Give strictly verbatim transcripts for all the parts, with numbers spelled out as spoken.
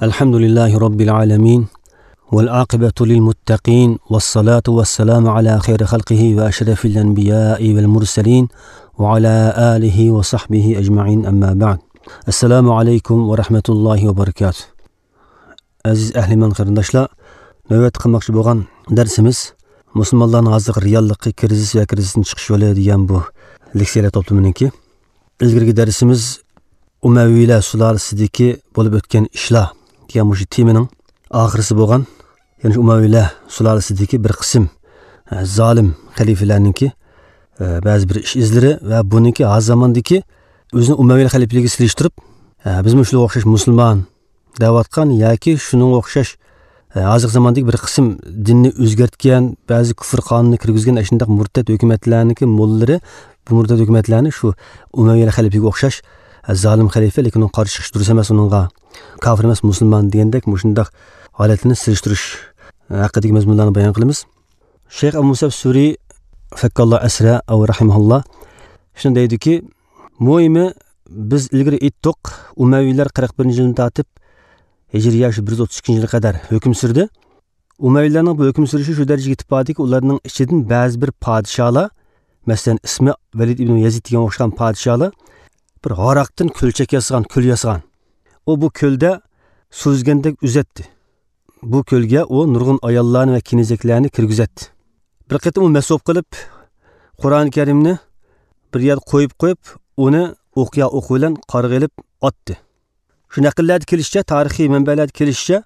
الحمد لله رب العالمين، والعاقبة للمتقين، والصلاة والسلام على خير خلقه وأشرف الأنبياء والمرسلين، وعلى آله وصحبه أجمعين، أما بعد. السلام عليكم ورحمة الله وبركاته. ئەزىز ئەھلىمان قېرىنداشلار، نۆۋەتتە قىلماقچى بولغان دەرسىمىز مۇسۇلمانلارنىڭ ھازىرقى رېئاللىقى، كىرىزىس ۋە كىرىزىستىن چىقىش يولى دېگەن بۇ لېكسىيەلەر توپلىمىنىڭكى. ئىلگىرىكى دەرسىمىز ئۇمەۋىيلەر سۇلالىسىدىكى بولۇپ ئۆتكەن ئىشلار دېگەن مۇشۇ تېمىنىڭ ئاخىرىسى بولغان، يەنى شۇ ئۇمەۋىيلەر سۇلالىسىدىكى بىر قىسىم، ئە، زالىم خەلىپىلەرنىڭكى، ئە، بەزى بىر ئىش ئىزلىرى ۋە بۇنىڭكى ھازىر زاماندىكى ئۆزىنى ئۇمەۋىيلەر خەلىپىلىكىگە سېلىشتۇرۇپ، ئە، بىزمۇ شۇلارغا ئوخشاش مۇسۇلمان دەۋاتقان ياكى شۇنىڭغا ئوخشاش، ئە، ھازىرقى زاماندىكى بىر قىسىم دىننى ئۆزگەرتكەن، بەزى كۇفر قانۇنىنى كىرگۈزگەن ئاشۇنداق مۇرتەت ھۆكۈمەتلەرنىڭكى موللىلىرى بۇ مۇرتەت ھۆكۈمەتلەرنى شۇ ئۇمەۋىيلەر خەلىپىگە ئوخشاش، ئە، زالىم خەلىپە، لېكىن ئۇنىڭغا قارشى چىقىش دۇرۇس ئەمەس، ئۇنىڭغا كافىر ئەمەس، مۇسۇلمان دېگەندەك مۇشۇنداق ھالەتلەرنى سېلىشتۇرۇش ھەققىدىكى مەزمۇنلارنى بايان قىلىمىز. شەيخ ئەبۇ مۇسەب سۈرى، فەككاللا ئەسرە ئەۋ رەھىمەھۇللا، شۇنى دەيدۇكى، مۇھىمى، بىز ئىلگىرى ئېيتتۇق، ئۇمەۋىيلەر قىرىق بىرىنچى يىلدىن تارتىپ ھىجرىيە شۇ بىر يۈز ئوتتۇز ئىككىنچى يىلغا قەدەر ھۆكۈم سۈردى. ئۇمەۋىيلەرنىڭ بۇ ھۆكۈم سۈرۈشى شۇ دەرىجىگە يېتىپ باردىكى، ئۇلارنىڭ ئىچىدىن بەزى بىر پادىشاھلار، مەسىلەن، ئىسمى ۋەلىد ئىبن يەزىد دېگەنگە ئوخشىغان پادىشاھلار بىر ھاراقتىن كۆلچەك ياسىغان، كۆل ياسىغان. ئۇ بۇ كۆلدە سۈزگەندەك ئۈزەتتى. بۇ كۆلگە ئۇ نۇرغۇن ئاياللارنى ۋە كېنىزەكلەرنى كىرگۈزەتتى. بىر قېتىم ئۇ مەس بولۇپ قېلىپ، قۇرئان كەرىمنى بىر يەردە قويۇپ قويۇپ، ئۇنى ئوقيا ئوقى بىلەن قارغا ئېلىپ ئاتتى. شۇ نەقىللەردە كېلىشىچە، تارىخىي مەنبەلەردە كېلىشىچە،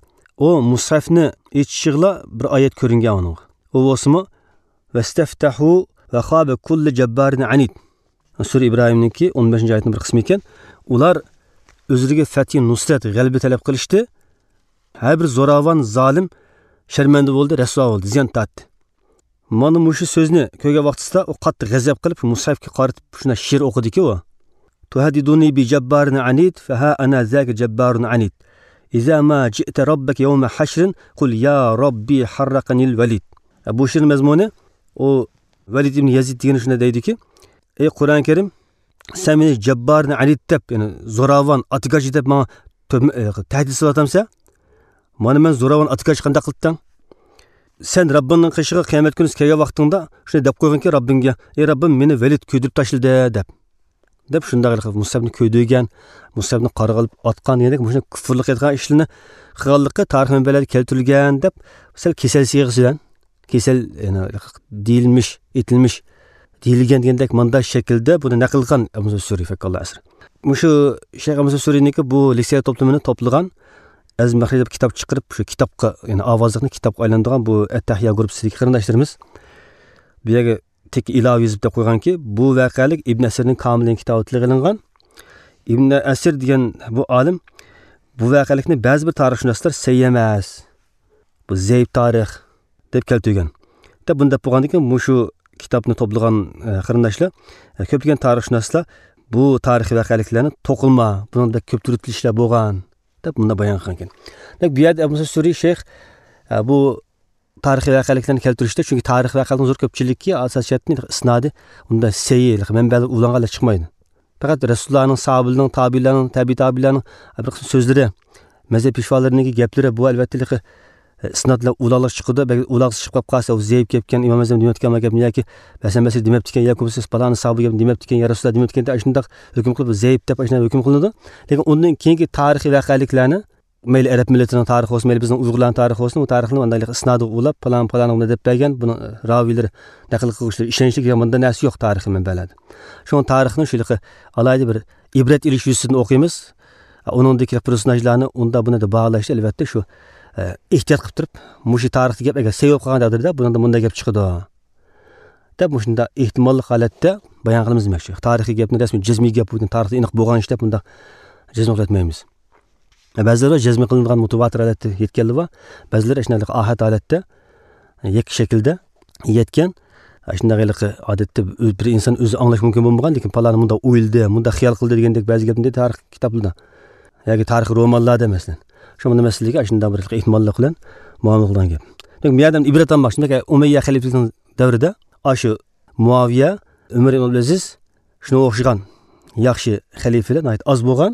ئۇ مۇسھەفنى ئېچىشىغىلا بىر ئايەت كۆرۈنگەن ئۇنىڭغا. ئۇ بولسىمۇ، ۋەستەفتەھۇ ۋەخابە كۇللى جەببارىن ئەنىد. سۈرە ئىبراھىمنىڭكى ئون بەشىنچى ئايەتنىڭ بىر قىسمى ئىكەن. ئۇلار ئۆزلىرىگە فەتھى، نۇسرەت، غەلىبە تەلەپ قىلىشتى. ھەر بىر زوراۋان، زالىم شەرمەندە بولدى، رەسۋا بولدى، زىيان تارتتى. مانا مۇشۇ سۆزنى كۆرگەن ۋاقتىسىدا ئۇ قاتتىق غەزەپ قىلىپ، مۇسھەفكە قارىتىپ شۇنداق شېئىر ئوقۇدىكى ئۇ. تۇھەددىدۇنى بىجەببارىن ئەنىد، فەھا ئەنا زاكە جەببارۇن ئەنىد. ئىزا ما جىئتە رەببەكە يەۋمە ھەشرىن، قۇل يا رەببى ھەررەقەنىل ۋەلىد. بۇ شېئىرنىڭ مەزمۇنى، ئۇ ۋەلىد ئىبن يەزىد دېگەن شۇنداق دەيدىكى، ئەي قۇرئان كەرىم، سەن مېنى جەببارىن ئەنىد دەپ، يەنى زوراۋان، ئاتىگاچ دەپ ماڭا تۆھمە-، ئە، تەھدىت سېلىۋاتامسەن؟ مانا مەن زوراۋان، ئاتىگاچ قانداق قىلىپتىڭ؟ سەن رەببىڭنىڭ قېشىغا قىيامەت كۈنى كەلگەن ۋاقتىڭدا شۇنى دەپ قويغىنكى رەببىڭگە، ئەي رەببىم، مېنى ۋەلىد كۆيدۈرۈپ تاشلىدى دەپ. دەپ شۇنداق ھېلىقى مۇسھەفنى كۆيدۈرگەن، مۇسھەفنى قارغا ئېلىپ ئاتقان دېگەندەك مۇشۇنداق كۇفرلۇق قىلىدىغان ئىشلىرىنى قىلغانلىقى تارىخ مەنبەلەردە كەلتۈرۈلگەن دەپ سەل كېسەل سىيغىسى بىلەن، كېسەل، يەنى دېيىلمىش، ئېيتىلمىش، دېيىلگەن دېگەندەك مانداق شەكىلدە بۇنى نەقىل قىلغان ئەبۇ مۇسا سۈرى، فەككاللا ئەسرى. مۇشۇ شەيخ ئەبۇ مۇسا سۈرىنىڭكى بۇ لېكسىيە توپلىمىنى توپلىغان ئەزىز مەخرىي دەپ كىتاب چىقىرىپ، شۇ كىتابقا، يەنى ئاۋازلىقنى كىتابقا ئايلاندۇرغان بۇ ئەتتەھىيا گۇرۇپپىسىدىكى قېرىنداشلىرىمىز بۇ يەرگە تېكى ئىلاۋە يېزىپ دەپ قويغانكى، بۇ ۋەقەلىك ئىبن ئەسىرنىڭ كامىلىن كىتابى تىلغا ئېلىنغان. ئىبن ئەسىر دېگەن بۇ ئالىم بۇ ۋەقەلىكنى بەزى بىر تارىخشۇناسلار سەھىھ ئەمەس، بۇ زەئىپ تارىخ دەپ كەلتۈرگەن. دەپ بۇنى دەپ بولغاندىن كېيىن مۇشۇ كىتابنى توپلىغان، ئە، قېرىنداشلار، ئە، كۆپلىگەن تارىخشۇناسلار بۇ تارىخىي ۋەقەلىكلەرنى توقۇلما، بۇنىڭدا بەك كۆپ تۈرتۈلۈشلەر بولغان دەپ مۇنداق بايان قىلغان ئىكەن. دەپ بۇ يەردە ئەبۇ مۇسا سۈرى شەيخ، ئە، بۇ تارىخىي ۋەقەلىكلەرنى كەلتۈرۈشتە، چۈنكى تارىخىي ۋەقەلەرنىڭ زور كۆپچىلىكى ئاساسىي جەھەتتىن ئىسنادى ئۇنداق سەھىھ مەنبەلەر ئۇلانغانلار چىقمايدۇ. پەقەت رەسۇلۇللانىڭ، ساھابىلەرنىڭ، تابىئىنلارنىڭ، تەبىئىي تابىئىنلارنىڭ بىر قىسىم سۆزلىرى، مەزھەپ پېشۋالىرىنىڭكى گەپلىرى، بۇ ئەلۋەتتە ھېلىقى، ئىسنادلار ئۇلاغلىق چىقىدۇ. بەلكى ئۇلاغلىق چىقىپ قالسا، ئۇ زەئىپ گەپكەن، ئىمام ئەزەم دېمەپتىكەن، گەپنى ياكى ھەسەن بەسرى دېمەپتىكەن، ياكى بولمىسا پالانى ساھابە گەپنى دېمەپتىكەن، يا رەسۇلۇللا دېمەپتىكەن دەپ، ئاشۇنداق ھۆكۈم قىلىپ، زەئىپ دەپ ئاشۇنداق ھۆكۈم قىلىنىدۇ. لېكىن ئۇندىن كېيىنكى تارىخىي ۋەقەلىكلەرنى مەيلى ئەرەب مىللىتىنىڭ تارىخى بولسۇن، مەيلى بىزنىڭ ئۇيغۇرلارنىڭ تارىخى بولسۇن، ئۇ تارىخنى مانداق ئىسنادىغا ئۇلاپ، پالان، پالان بۇنى دەپ بەرگەن، بۇنىڭ راۋىيلىرى، نەقىل قىلغۇچىلىرى ئىشەنچلىك دېگەن مۇنداق نەرسە يوق تارىخىي مەنبەلەردە. شۇڭا تارىخنى شۇ ھېلىقى ئالاھىدە بىر ئىبرەت ئېلىش يۈزىسىدىن ئوقۇيمىز. ئۇنىڭدىكى پېرسوناژلارنى ئۇنداق بۇنى دەپ باھالاشتا، ئەلۋەتتە، شۇ، ئە، ئېھتىيات قىلىپ تۇرۇپ، مۇشۇ تارىختا گەپ ئەگەر سەھىھ بولۇپ قالغان تەقدىردە، بۇنىڭدا مۇنداق گەپ چىقىدۇ دەپ، مۇشۇنداق ئېھتىماللىق ھالەتتە بايان قىلىمىز دېمەكچى. تارىخىي گەپنى رەسمىي جەزمىي گەپ، بۇ تارىختا ئېنىق بولغان ئىش دەپ مۇنداق جەزم قىلىۋەتمەيمىز. بەزىلەر جەزم قىلىنغان مۇتەۋاتىر ھالەتتە يەتكەنلىرى بار. بەزىلەر ئاشۇنداق ئاھاد ھالەتتە، يەككە شەكىلدە يەتكەن. ئاشۇنداق ھېلىقى ئادەتتە بىر ئىنسان ئۆزى ئاڭلاش مۇمكىن بولمىغان، لېكىن پالانى مۇنداق ئويلىدى، مۇنداق خىيال قىلدى دېگەندەك بەزى گەپنى تارىخ كىتابلىرىدا ياكى تارىخ رومانلاردا، مەسىلەن، شۇ مۇنداق مەسىلىگە ئاشۇنداق بىر ئېھتىماللىق بىلەن مۇئامىلە قىلغان گەپ. دېمەك، بۇ يەردىن ئىبرەت ئالماق، شۇنداق ئۇمەييە خەلىپىلىكىنىڭ دەۋرىدە ئاشۇ مۇئاۋىيە، ئۆمەر ئىبن ئابدۇلئەزىز، شۇنىڭغا ئوخشىغان ياخشى خەلىپىلەر ناھايىتى ئاز بولغان.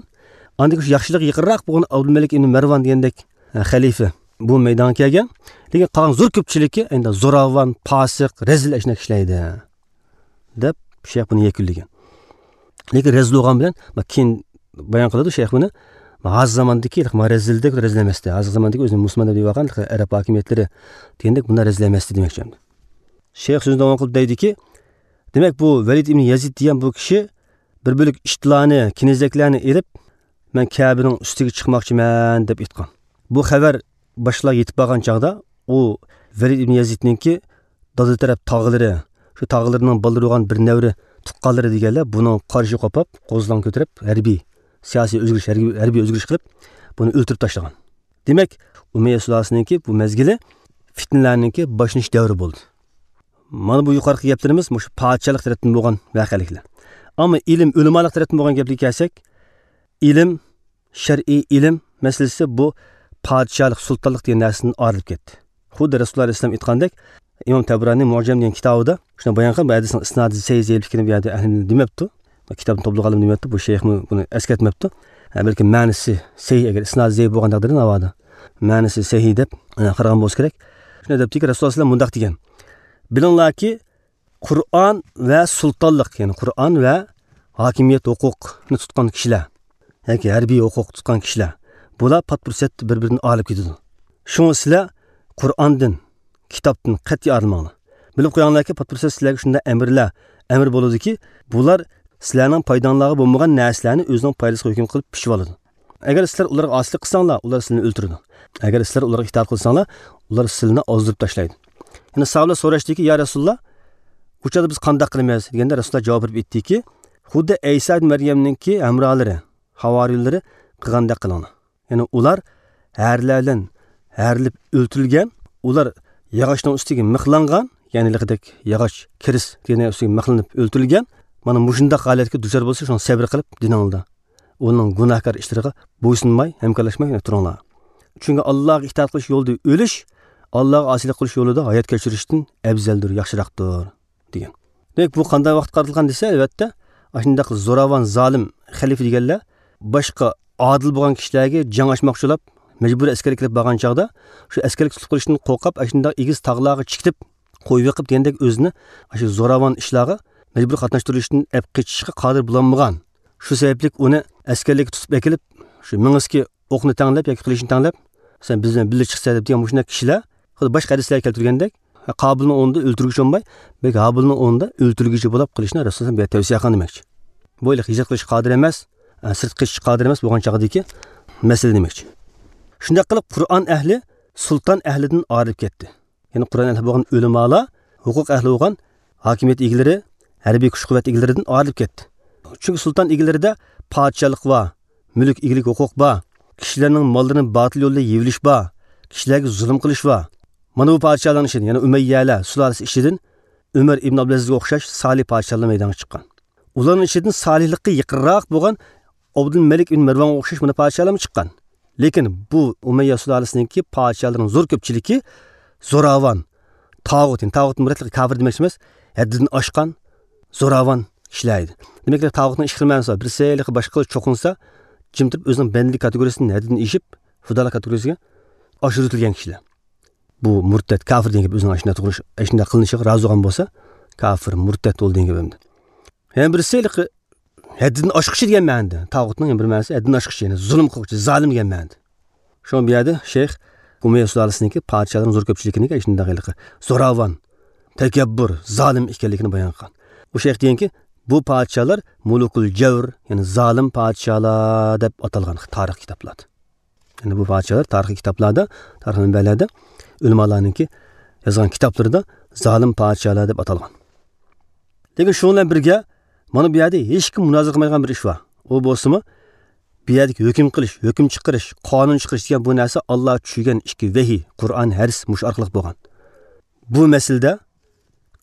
ئاندىن كېيىن شۇ ياخشىلىقى يېقىنراق بولغان ئابدۇلمەلىك ئىبن مەرۋان دېگەندەك، ھە، خەلىپە بۇ مەيدانغا كەلگەن. لېكىن قالغان زور كۆپچىلىكى ئەمدى زوراۋان، پاسىق، رەزىل ئەشۇنداق كىشىلەر ئىدى، دەپ شەيخ بۇنى يەكۈنلىگەن. لېكىن رەزىل بولغان بىلەن، ما، كېيىن بايان قىلىدۇ شەيخ بۇنى. ما، ھازىر زاماندىكى، ما، رەزىلدەك رەزىل ئەمەستى. ھازىر زاماندىكى ئۆزىنى مۇسۇلمان دەپ دەۋاتقان ئەرەب ھاكىمىيەتلىرى دېگەندەك بۇنداق رەزىل ئەمەستى دېمەكچى. شەيخ سۆزىنى داۋام قىلىپ دەيدىكى، دېمەك، بۇ ۋەلىد ئىبن يەزىد دېگەن بۇ كىشى بىر بۆلەك ئىتلارنى، كېنىزەكلەرنى ئېلىپ، مەن كەبىنىڭ ئۈستىگە چىقماقچىمەن، دەپ ئېيتقان. بۇ خەۋەر باشقىلارغا يېتىپ بارغان چاغدا، ئۇ ۋەلىد ئىبن يەزىدنىڭكى دادا تەرەپ تاغىلىرى، شۇ تاغىلىرىنىڭ بالىلىرى بولغان بىر نەۋرە تۇغقانلىرى دېگەنلەر بۇنىڭ قارشى قوپاپ، قوزغىلاڭ كۆتۈرۈپ، ھەربىي، سىياسىي ئۆزگىرىش، ھەربىي، ھەربىي ئۆزگىرىش قىلىپ، بۇنى ئۆلتۈرۈپ تاشلىغان. دېمەك، ئۇمەييە سۇلالىسىنىڭكى بۇ مەزگىلى فىتنىلەرنىڭكى باشلىنىش دەۋرى بولدى. مانا بۇ يۇقىرىقى گەپلىرىمىز مۇشۇ پادىشاھلىق تەرەپتىن بولغان ۋەقەلىكلەر. ئەمما ئىلىم، ئۆلىمالىق تەرەپتىن بولغان گەپلەرگە كەلسەك، ئىلىم، شەرئىي ئىلىم مەسىلىسى بۇ پادىشاھلىق، سۇلتانلىق دېگەن نەرسىدىن ئايرىلىپ كەتتى. خۇددى رەسۇلۇللا ئەلەيھىسسالام ئېيتقاندەك، ئىمام تەبرانىي مۇئجەم دېگەن كىتابىدا شۇنى بايان قىلىپ، بۇ ھەدىسنىڭ ئىسنادى سەھىھ زەئىپلىكىنى بۇ يەردە ئەھلى ئىلىم دېمەپتۇ. كىتابنى توپلىغانلار دېمەپتۇ، بۇ شەيخمۇ بۇنى ئەسكەرتمەپتۇ. ھە، بەلكىم مەنىسى سەھىھ، ئەگەر ئىسنادى زەئىپ بولغان تەقدىردە ناۋادا مەنىسى سەھىھ دەپ، ئە، قارىغان بولسا كېرەك. شۇنى دەپتىكى، رەسۇلۇللا ئەلەيھىسسالام مۇنداق دېگەن، بىلىڭلاركى، قۇرئان ۋە سۇلتانلىق، يەنى قۇرئان ۋە ھاكىمىيەت ھوقۇقنى تۇتقان كىشىلەر ياكى ھەربىي ھوقۇق تۇتقان كىشىلەر، بۇلار پات پۇرسەتتە بىر بىرىدىن ئايرىلىپ كېتىدۇ. شۇڭا سىلەر قۇرئاندىن، كىتابتىن قەتئىي ئايرىلماڭلار. بىلىپ قويۇڭلاركى، پات پۇرسەتتە سىلەرگە شۇنداق ئەمىرلەر، ئەمىر بولىدۇكى، بۇلار سىلەرنىڭ پايداڭلارغا بولمىغان نەرسىلەرنى ئۆزىنىڭ پايدىسىغا ھۆكۈم قىلىپ پىشىۋالىدۇ. ئەگەر سىلەر ئۇلارغا ئاسىيلىق قىلساڭلار، ئۇلار سىلەرنى ئۆلتۈرىدۇ. ئەگەر سىلەر ئۇلارغا ئىتائەت قىلساڭلار، ئۇلار سىلەرنى ئازدۇرۇپ تاشلايدۇ. يەنە ساھابىلەر سوراشتىكى، يا رەسۇلاللا، ئۇ چاغدا بىز قانداق قىلىمىز؟ دېگەندە رەسۇلاللا جاۋاب بېرىپ ئېيتتىكى، خۇددى ئەيسا ئىبن مەريەمنىڭكى ھەمراھلىرى، ھاۋارىيلىرى قىلغاندەك قىلىڭلار. يەنى ئۇلار ھەرىلەر بىلەن ھەرىلىپ ئۆلتۈرۈلگەن، ئۇلار ياغاچنىڭ ئۈستىگە مىخلانغان، يەنى ھېلىقىدەك ياغاچ، كىرىس دېگەن ئۈستىگە مىخلىنىپ ئۆلتۈرۈلگەن. مانا مۇشۇنداق ھالەتكە دۇچار بولسا، شۇڭا سەۋر قىلىپ دىنىڭلاردا ئۇنىڭ گۇناھكار ئىشلىرىغا بويسۇنماي، ھەمكارلاشماي تۇرۇڭلار. چۈنكى ئاللاھقا ئىتائەت قىلىش يولىدا ئۆلۈش ئاللاھقا ئاسىيلىق قىلىش يولىدا ھايات كەچۈرۈشتىن ئەۋزەلدۇر، ياخشىراقتۇر، دېگەن. دېمەك، بۇ قانداق ۋاقىتقا قارىتىلغان دېسە، ئەلۋەتتە، ئاشۇنداق زوراۋان، زالىم خەلىپە دېگەنلەر باشقا ئادىل بولغان كىشىلەرگە جەڭ ئاچماقچى بولۇپ، مەجبۇرىي ئەسكەرلىك ئېلىپ بارغان چاغدا، شۇ ئەسكەرلىك تۇتۇپ قېلىشتىن قورقۇپ، ئاشۇنداق ئېگىز تاغلارغا چىقىپ، قويۇۋېقىپ دېگەندەك ئۆزىنى ئاشۇ زوراۋان ئىشلارغا مەجبۇرىي قاتناشتۇرۇلۇشتىن ئەپ قېچىشقا قادىر بولالمىغان. شۇ سەۋەبلىك ئۇنى ئەسكەرلىككە تۇتۇپ ئەكېلىپ، شۇ مېڭىسىگە ئوقنى تەڭلەپ ياكى قىلىچنى تەڭلەپ، سەن بىز بىلەن بىللە چىقسەن دەپ دېگەن مۇشۇنداق كىشىلەر، خۇددى باشقا ھەدىسلەردە كەلتۈرگەندەك، قابىلنىڭ ئورنىدا ئۆلتۈرگۈچى بولماي، بەلكى ھابىلنىڭ ئورنىدا ئۆلتۈرگۈچى بولۇپ قېلىشنى رەسۇلۇللا بۇ يەردە تەۋسىيە قىلغان دېمەكچى. بۇ ھېلىقى ھىجرەت قىلىشقا قادىر ئەمەس، سىرتقا چىقىشقا قادىر ئەمەس بولغان چاغدىكى مەسىلە دېمەكچى. شۇنداق قىلىپ، قۇرئان ئەھلى سۇلتان ئەھلىدىن ئايرىلىپ كەتتى. يەنى قۇرئان ئەھلى بولغان ئۆلىمالار، ھوقۇق ئەھلى بولغان ھاكىمىيەت ئىگىلىرى، ھەربىي كۈچ-قۇۋۋەت ئىگىلىرىدىن ئايرىلىپ كەتتى. چۈنكى سۇلتان ئىگىلىرىدە پادىشاھلىق بار، مۈلۈك ئىگىلىك ھوقۇق بار، كىشىلەرنىڭ ماللىرىنى باتىل يولدا يېۋىلىش بار، كىشىلەرگە زۇلۇم قىلىش بار. مانا بۇ پادىشاھلارنىڭ ئىچىدىن، يەنى ئۈمەييەلەر سۇلالىسى ئىچىدىن ئۆمەر ئىبن ئابدۇلئەزىزگە ئوخشاش سالىھ پادىشاھلار مەيدانغا چىققان. ئۇلارنىڭ ئىچىدىن سالىھلىققا يېقىنراق بولغان ئابدۇلمەلىك ئىبن مەرۋانغا ئوخشاش مانا پادىشاھلارمۇ چىققان. لېكىن بۇ ئۇمەييە سۇلالىسىنىڭكى پادىشاھلىرىنىڭ زور كۆپچىلىكى زوراۋان، تاغۇت، يەنى تاغۇت مۇرەتلىك كاپىر دېمەكچى ئەمەس، ھەددىدىن ئاشقان زوراۋان كىشىلەر ئىدى. دېمەك، تاغۇتنىڭ ئىككى خىل مەنىسى بار. بىرسى ھېلىقى باشقىلار چوقۇنسا، جىم تۇرۇپ ئۆزىنىڭ بەندىلىك كاتېگورىيىسىدىن ھەددىدىن ئېشىپ، خۇدالىق كاتېگورىيىسىگە ئاشۇرۇۋېتىلگەن كىشىلەر. بۇ مۇرتەت، كاپىر دېگەن گەپ ئۆزىنىڭ ئاشۇنداق تۇرۇش، ئاشۇنداق قىلىنىشىغا رازى بولغان بولسا، كاپىر، مۇرتەت بولدى دېگەن گەپ ئەمدى. يەنە بىرسى ھېلىقى ھەددىدىن ئاشقۇچى دېگەن مەنىدە. تاغۇتنىڭ يەنە بىر مەنىسى ھەددىدىن ئاشقۇچى، يەنى زۇلۇم قىلغۇچى، زالىم دېگەن مەنىدە. شۇڭا بۇ يەردە شەيخ ئۇمەييە سۇلالىسىنىڭكى پادىشاھلىرىنىڭ زور كۆپچىلىكىنىڭكى ئاشۇنداق ھېلىقى زوراۋان، تەكەببۇر، زالىم ئىكەنلىكىنى بايان قىلغان. ئۇ شەيخ دېگەنكى، بۇ پادىشاھلار مۇلۇكۇل جەۋر، يەنى زالىم پادىشاھلار دەپ ئاتالغان تارىخ كىتابلاردا. يەنى بۇ پادىشاھلار تارىخىي كىتابلاردا، تارىخ مەنبەلەردە ئۆلىمالارنىڭكى يازغان كىتابلىرىدا زالىم پادىشاھلار دەپ ئاتالغان. لېكىن شۇنىڭ بىلەن بىرگە، مانا بۇ يەردە ھېچكىم مۇنازىرە قىلمايدىغان بىر ئىش بار. ئۇ بولسىمۇ، بۇ يەردىكى ھۆكۈم قىلىش، ھۆكۈم چىقىرىش، قانۇن چىقىرىش دېگەن بۇ نەرسە ئاللا چۈشۈرگەن ئىككى ۋەھىي، قۇرئان، ھەدىس مۇشۇ ئارقىلىق بولغان. بۇ مەسىلىدە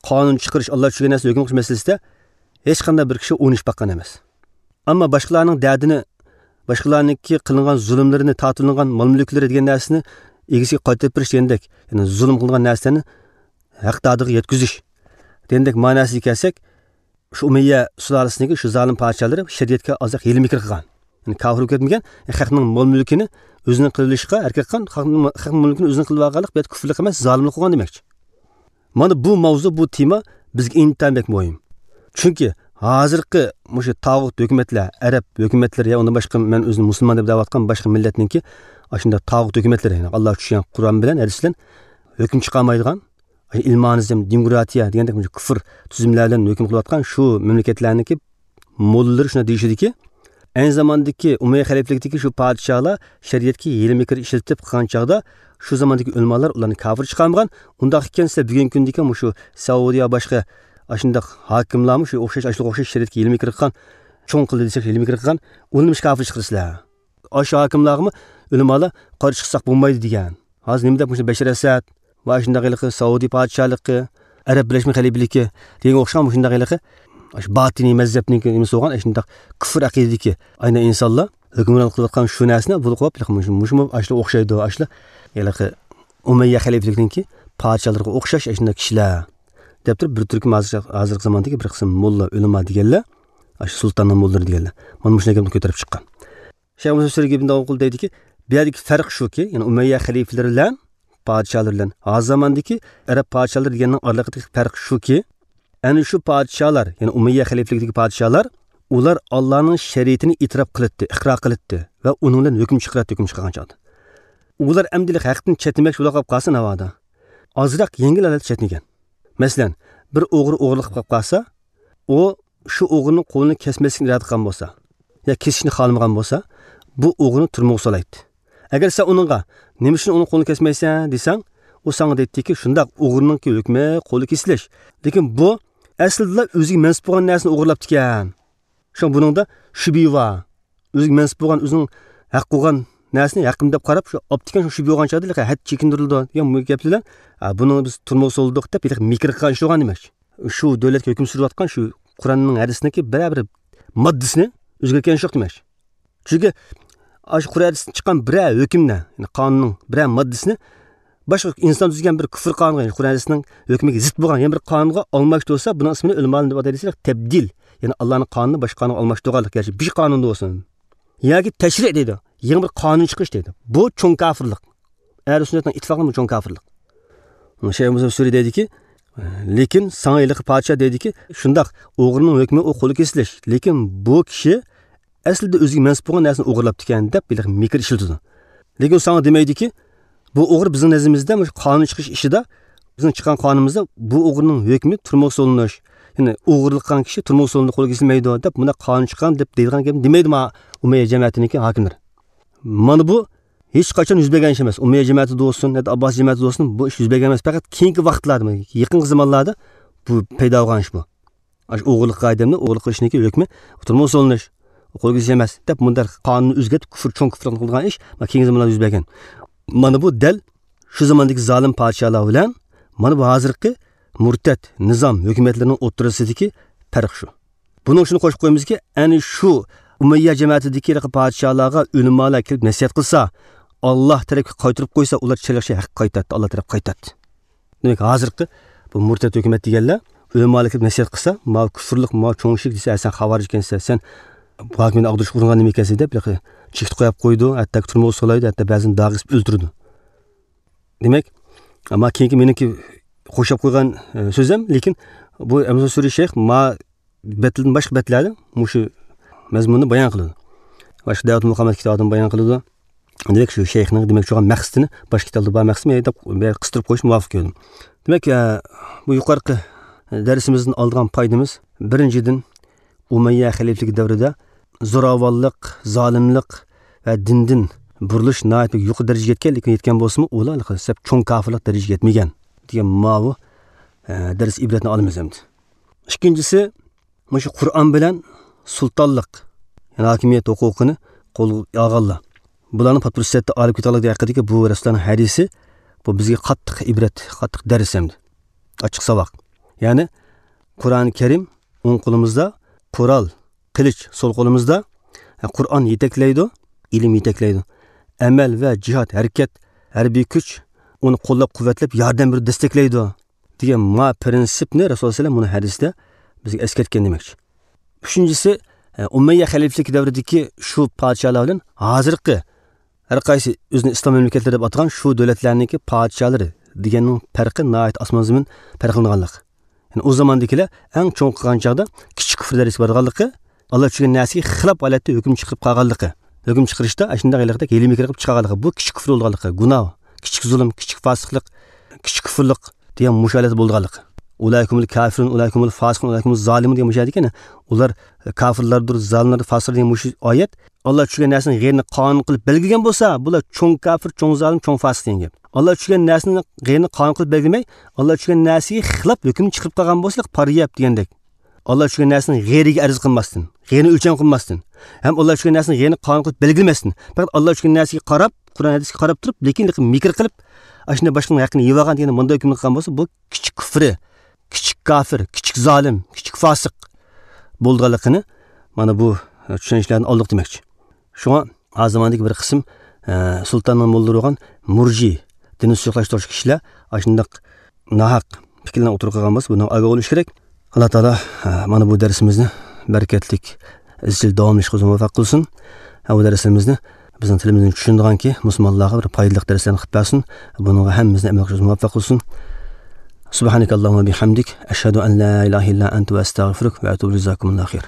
قانۇن چىقىرىش، ئاللا چۈشۈرگەن نەرسە ھۆكۈم قىلىش مەسىلىسىدە ھېچقانداق بىر كىشى ئوينىشىپ باققان ئەمەس. ئەمما باشقىلارنىڭ دەردىنى، باشقىلارنىڭكى قىلىنغان زۇلۇملىرىنى، تارتىۋېلىنغان مال-مۈلۈكلىرى دېگەن نەرسىنى ئىگىسىگە قايتۇرۇپ بېرىش دېگەندەك، يەنى زۇلۇم قىلىنغان نەرسىلەرنى ھەقدارىغا يەتكۈزۈش دېگەندەك مەنىسىگە كەلسەك، شۇ ئۇمەييە سۇلالىسىنىڭكى شۇ زالىم پادىشاھلىرى شەرىئەتكە ئازراق ھىيلە-مىكىر قىلغان. يەنى كاپىر بولۇپ كەتمىگەن، خەقنىڭ مال مۈلكىنى ئۆزىنىڭ قىلىۋېلىشقا ھەرىكەت قىلغان، خەقنىڭ، خەقنىڭ مال مۈلكىنى ئۆزىنىڭ قىلىۋالغانلىق بۇ يەردە كۇفرلۇق ئەمەس، زالىملىق قىلغان دېمەكچى. مانا بۇ ماۋزۇ، بۇ تېما بىزگە ئىنتايىن بەك مۇھىم. چۈنكى ھازىرقى مۇشۇ تاغۇت ھۆكۈمەتلەر، ئەرەب ھۆكۈمەتلىرى يا ئۇندىن باشقا مەن ئۆزىنى مۇسۇلمان دەپ دەۋاتقان باشقا مىللەتنىڭكى ئاشۇنداق تاغۇت ھۆكۈمەتلىرى، يەنى ئاللا چۈشۈرگەن قۇرئان بىلەن، ھەدىس بىلەن ھۆكۈم چىقارمايدىغان، ئىلمانىزم، دېموكراتىيە دېگەندەك مۇشۇ كۇفر تۈزۈملەر بىلەن ھۆكۈم قىلىۋاتقان شۇ مەملىكەتلەرنىڭكى موللىلىرى شۇنداق دېيىشىدىكى، ئەينى زاماندىكى ئۇمەييە خەلىپىلىكىدىكى شۇ پادىشاھلار شەرىئەتكە ھىيلە-مىكىر ئىشلىتىپ قىلغان چاغدا، شۇ زاماندىكى ئۆلىمالار ئۇلارنى كاپىر چىقارمىغان. ئۇنداق ئىكەن دېسە، بۈگۈنكى كۈندىكى مۇشۇ سەئۇدىيە، باشقا ئاشۇنداق ھاكىملارمۇ شۇ ئوخشاش، ئاشۇلارغا ئوخشاش شەرىئەتكە ھىيلە-مىكىر قىلغان، چوڭ قىلدى دېسەك، ھىيلە-مىكىر قىلغان، ئۇلارنى نېمىشقا كاپىر چىقىرىسىلەر؟ ئاشۇ ھاكىملارغىمۇ ئۆلىمالار قارشى چىقساق بولمايدۇ دېگەن. ھازىر نېمە دەپ مۇشۇ بەشەر ئەسەد ۋە شۇنداق ھېلىقى سەئۇدى پادىشاھلىقى، ئەرەب بىرلەشمە خەلىپىلىكى دېگەنگە ئوخشىغان مۇشۇنداق ھېلىقى ئاشۇ باتىنىي مەزھەپنىڭكى نېمىسى بولغان، ئاشۇنداق كۇفر ئەقىدىدىكى ئاينا ئىنسانلار ھۆكۈمرانلىق قىلىۋاتقان شۇ نەرسىنى بۇلىقىپ، مۇشۇ، مۇشۇمۇ ئاشۇلار ئوخشايدۇ، ئاشۇلار ھېلىقى ئۇمەييە خەلىپىلىكىنىڭكى پادىشاھلىرىغا ئوخشاش ئاشۇنداق كىشىلەر دەپ تۇرۇپ، بىر تۈركۈم ھازىر، ھازىرقى زاماندىكى بىر قىسىم موللا، ئۆلىما دېگەنلەر، ئاشۇ سۇلتاننىڭ موللىلىرى دېگەنلەر مانا مۇشۇنداق گەپنى كۆتۈرۈپ چىققان. شەيخ مۇسلىم سۈرى ئىبن داۋۇقۇل دەيدىكى، بۇ يەردىكى پەرق شۇكى، يەنى ئۇمەييە خەلىپىلىرى بىلەن پادىشاھلىرى بىلەن ھازىر زاماندىكى ئەرەب پادىشاھلىرى دېگەننىڭ ئارىلىقىدىكى پەرق شۇكى، ئەنە شۇ پادىشاھلار، يەنى ئۇمەييە خەلىپىلىكىدىكى پادىشاھلار، ئۇلار ئاللانىڭ شەرىئىتىنى ئېتىراپ قىلاتتى، ئىقرار قىلاتتى ۋە ئۇنىڭ بىلەن ھۆكۈم چىقىراتتى، ھۆكۈم چىقارغان چاغدا. ئۇلار ئەمدى ھەقتىن چەتنىمەكچى بولۇپ قالسا ناۋادا، ئازراق يېڭىل ھالەتتە چەتنىگەن. مەسىلەن، بىر ئوغرى ئوغرىلىق قىلىپ قالسا، ئۇ شۇ ئوغرىنىڭ قولىنى كەسمەسلىكنى ئىرادە قىلغان بولسا، يا كېسىشنى خالىمىغان بولسا، بۇ ئوغرىنى تۈرمىگە سولايتتى. ئەگەر سەن ئۇنىڭغا، «نېمە ئۈچۈن ئۇنىڭ قولىنى كەسمەيسەن؟» دېسەڭ، ئۇ ساڭا دەيتتىكى، «شۇنداق، ئوغرىنىڭكى ھۆكمى قولى كېسىلىش. لېكىن بۇ ئەسلىدىلا ئۆزىگە مەنسۇپ بولغان نەرسىنى ئوغرىلاپتىكەن.» شۇڭا بۇنىڭدا شۈبھە بار. ئۆزىگە مەنسۇپ بولغان، ئۆزىنىڭ ھەق قىلغان نەرسىنى ھەققىم دەپ قاراپ، شۇ ئاپتىكەن، شۇ شۈبھە بولغان چاغدا ھەددى چېكىندۈرۈلىدۇ دېگەن بۇ گەپلەر بىلەن، ھە، بۇنى بىز تۈرمىگە سولىدۇق دەپ، ھېلىقى مىكىر قىلغان ئىش بولغان دېمەك. شۇ دۆلەتكە ھۆكۈم سۈرۈۋاتقان شۇ قۇرئاننىڭ، ھەدىسنىڭكى بىرەر بىر ماددىسىنى ئۆزگەرتكەن ئىش يوق دېمەك. چۈنكى ئاشۇ قۇرئان، ھەدىستىن چىققان بىرەر ھۆكۈمنى، يەنى قانۇننىڭ بىرەر ماددىسىنى باشقا ئىنسان تۈزگەن بىر كۇفر قانۇنغا، يەنى قۇرئان، ھەدىسنىڭ ھۆكمىگە زىت بولغان يەنە بىر قانۇنغا ئالماشتۇرسا، بۇنىڭ ئىسمىنى ئۆلىمالار نېمە دەپ ئاتايدۇ دېسە، تەبدىل. يەنى ئاللانىڭ قانۇنىنى باشقا قانۇنغا ئالماشتۇرغانلىق، گەرچە بىر قانۇندا بولسۇن. ياكى تەشرىئ دەيدۇ، يېڭى بىر قانۇن چىقىرىش دەيدۇ. بۇ چوڭ كاپىرلىق. ئەھلى سۈننەتنىڭ ئىتتىپاقى بۇ چوڭ كاپىرلىق. شەيخ مۇسلىم سۈرى دەيدىكى، لېكىن ساڭا ھېلىقى پادىشاھ دەيدىكى، شۇنداق، ئوغرىنىڭ ھۆكمى ئۇ قولى كېسىلىش. لېكىن بۇ كىشى ئەسلىدە ئۆزىگە مەنسۇپ بولغان نەرسىنى ئوغرىلاپتىكەن دەپ ھېلىقى مىكىر ئىشلىتىدۇ. لېكىن ساڭا دېمەيدىكى، بۇ ئوغرى بىزنىڭ نەزىرىمىزدە مۇشۇ قانۇن چىقىرىش ئىشىدا، بىزنىڭ چىققان قانۇنىمىزدا بۇ ئوغرىنىڭ ھۆكمى تۈرمىگە سولىنىش، يەنى ئوغرىلىق قىلغان كىشى تۈرمىگە سولىنىدۇ، قولى كېسىلمەيدۇ دەپ مۇنداق قانۇن چىققان دەپ دەيدىغان گەپنى دېمەيدۇ مانا ئۇمەييە جەمەتىنىڭكى ھاكىملىرى. مانا بۇ ھېچقاچان يۈز بەرگەن ئىش ئەمەس. ئۇمەييە جەمەتىدە بولسۇن، يا ئابباسىي جەمەتىدە بولسۇن، بۇ ئىش يۈز بەرگەن ئەمەس. پەقەت كېيىنكى ۋاقىتلاردا، يېقىنقى زامانلاردا بۇ پەيدا بولغان ئىش بۇ. ئاشۇ ئوغرىلىق ئادەمنى ئوغرىلىق قىلىشنىكى ھۆكمى تۈرمىگە سولىنىش، قولىغا ئېلىش ئەمەس دەپ مۇنداق قانۇننى ئۆزگەرتىپ، كۇفر، چوڭ كۇفر قىلغان ئىش مانا كېيىنكى زامانلاردا يۈز بەرگەن. مانا بۇ دەل شۇ زاماندىكى زالىم پادىشاھلار بىلەن مانا بۇ ھازىرقى مۇرتەت نىزام ھۆكۈمەتلىرىنىڭ ئوتتۇرىسىدىكى پەرق شۇ. بۇنىڭ ئۈچۈن قوشۇپ قويىمىزكى، ئەنە شۇ ئۇمەييە جەمەتىدىكى پادىشاھلارغا ئۆلىمالار كېلىپ نەسىھەت قىلسا، ئاللا تەرەپكە قايتۇرۇپ قويسا، ئۇلار چىرايلىق ھەققە قايتاتتى، ئاللا تەرەپكە قايتاتتى. دېمەك، ھازىرقى بۇ مۇرتەت ھۆكۈمەت دېگەنلەر ئۆلىمالار كېلىپ نەسىھەت قىلسا، ماۋۇ كۇفرلۇق، ماۋۇ چوڭ شىرك دېسە، «ھە، سەن خاۋارىج ئىكەنسەن، سەن بۇ ھاكىمىيەتنى ئاغدۇرۇشقا ئۇرۇنغان نېمە ئىكەنسەن» دەپ، چېكىتىپ قويۇپ قويىدۇ، ھەتتا تۈرمىگە سولايدۇ، ھەتتا بەزىدە داغ ئېسىپ ئۆلتۈرىدۇ. دېمەك، ئەمما كېيىنكى مېنىڭكى قوشاپ قويغان، ئە، سۆزۈم، لېكىن بۇ ئەمىسە سۈرى شەيخ ما بەتلىدىن باشقا بەتلەردە مۇشۇ مەزمۇننى بايان قىلىدۇ. باشقا دەۋەت مۇقامات كىتابىدىن بايان قىلىدۇ. دېمەك، شۇ شەيخنىڭ دېمەكچى بولغان مەقسىتىنى باشقا كىتابتا بار مەقسىتىنى دەپ قىستۇرۇپ قويۇشنى مۇۋاپىق كۆردۈم. دېمەك، ئە، بۇ يۇقىرىقى دەرسىمىزدىن ئالىدىغان پايدىمىز، بىرىنچىدىن، ئۇمەييە خەلىپىلىكى دەۋرىدە زوراۋانلىق، زالىملىق ۋە دىندىن بۇرۇلۇش ناھايىتى يۇقىرى دەرىجىگە يەتكەن، لېكىن يەتكەن بولسىمۇ، ئۇلار دەسلەپ چوڭ كاپىرلىق دەرىجىگە يەتمىگەن دېگەن ماۋۇ، ئە، دەرس ئىبرەتنى ئالىمىز ئەمدى. ئىككىنچىسى، مۇشۇ قۇرئان بىلەن سۇلتانلىق، يەنى ھاكىمىيەت ھوقۇقىنى قولغا ئالغانلار، بۇلارنىڭ پات پۇرسەتتە ئالىپ كېتەلىكى ھەققىدىكى بۇ رەسۇلۇللانىڭ ھەدىسى، بۇ بىزگە قاتتىق ئىبرەت، قاتتىق دەرس ئەمدى. ئاچچىق ساۋاق. يەنى قۇرئانى كەرىم ئوڭ قولىمىزدا، قورال، قىلىچ سول قولىمىزدا، قۇرئان يېتەكلەيدۇ، ئىلىم يېتەكلەيدۇ. ئەمەل ۋە جىھاد، ھەرىكەت، ھەربىي كۈچ ئۇنى قوللاپ قۇۋۋەتلەپ، ياردەم بېرىپ دەستەكلەيدۇ دېگەن ما پىرىنسىپنى رەسۇلۇللا سەللەم مۇنۇ ھەدىستە بىزگە ئەسكەرتكەن دېمەكچى. ئۈچىنچىسى، ئە، ئۇمەييە خەلىپىلىكى دەۋرىدىكى شۇ پادىشاھلار بىلەن ھازىرقى ھەر قايسى ئۆزىنى ئىسلام مەملىكەتلىرى دەپ ئاتىغان شۇ دۆلەتلەرنىڭكى پادىشاھلىرى دېگەننىڭ پەرقى ناھايىتى ئاسمان زېمىن پەرقلىنىدىغانلىق. يەنى ئۇ زاماندىكىلەر ئەڭ چوڭ قىلغان چاغدا كىچىك كۇفر دەرىجىسىگە بارغانلىقى، ئاللا چۈشۈرگەن نەرسىگە خىلاپ ھالەتتە ھۆكۈم چىقىرىپ قالغانلىقى، ھۆكۈم چىقىرىشتا ئاشۇنداق ھېلىقىدەك ھىيلە مىكىر قىلىپ چىقارغانلىقى، بۇ كىچىك كۇفر بولغانلىقى، گۇناھ، كىچىك زۇلۇم، كىچىك فاسىقلىق، كىچىك كۇفرلۇق دېگەن مۇشۇ ھالەتتە بولىدىغانلىقى. ئۇلائىكۇمۇل كافىرۇن، ئۇلائىكۇمۇل فاسىقۇن، ئۇلائىكۇمۇل زالىمۇن دېگەن مۇشۇ يەردىكى، ئۇلار كافىرلاردۇر، زالىملاردۇر، فاسىقلار دېگەن مۇشۇ ئايەت. ئاللا چۈشۈرگەن نەرسىنى غەيرىنى قانۇن قىلىپ بەلگىلىگەن بولسا، بۇلار چوڭ كافىر، چوڭ زالىم، چوڭ فاسىق دېگەن گەپ. ئاللا چۈشۈرگەن نەرسىنى غەيرىنى قانۇن قىلىپ بەلگىلىمەي، ئاللا چۈشۈرگەن نەرسىگە خىلاپ ھۆكۈم چىقىرىپ قالغان بولسا، پارا يەپ دېگەندەك. ئاللا چۈشۈرگەن نەرسىنى غەيرىگە ئەرز قىلماستىن، غەيرىنى ئۆلچەم قىلماستىن، ھەم ئاللا چۈشۈرگەن نەرسىنى غەيرىنى قانۇن قىلىپ بەلگىلىمەستىن، پەقەت ئاللا چۈشۈرگەن نەرسىگە قاراپ، قۇرئان ھەدىسكە قاراپ تۇرۇپ، لېكىن مىكىر قىلىپ، ئاشۇنداق باشقىنىڭ ھەققىنى يەۋالغان دېگەن مۇنداق ھۆكۈمنى قىلغان بولسا، بۇ كىچىك كۇفرى، كىچىك كافىر، كىچىك زالىم، كىچىك فاسىق بولىدىغانلىقىنى مانا بۇ چۈشەنچىلەردىن ئالدۇق دېمەكچى. شۇڭا ھازىر زاماندىكى بىر قىسىم، ئە، سۇلتاننىڭ موللىلىرى بولغان مۇرجى، دىننى سۇيۇقلاشتۇرۇش كىشىلەر ئاشۇنداق ناھەق پىكىرلەرنى ئوتتۇرىغا قويغان بولسا، بۇنىڭ ئاگاھ بولۇش كېرەك. ئاللا تائالا، ئە، مانا بۇ دەرسىمىزنى بەرىكەتلىك، ئىزچىل داۋاملىشىشقا ئۆزى مۇۋەپپەق قىلسۇن. ھە، بۇ دەرسلىرىمىزنى بىزنىڭ تىلىمىزنى چۈشىنىدىغانكى مۇسۇلمانلارغا بىر پايدىلىق دەرسلەرنى قىلىپ بەرسۇن. بۇنىڭغا ھەممىمىزنى ئەمەل قىلىشقا مۇۋەپپەق قىلسۇن. سۇبھانەكاللاھۇممە بىھەمدىك، ئەشھەدۇ ئەن لا ئىلاھە ئىللا ئەنتە ۋە ئەستەغفىرۇك ۋە ئەتۇبۇ ئىلەيك. جازاكۇمۇللاھۇ خەير.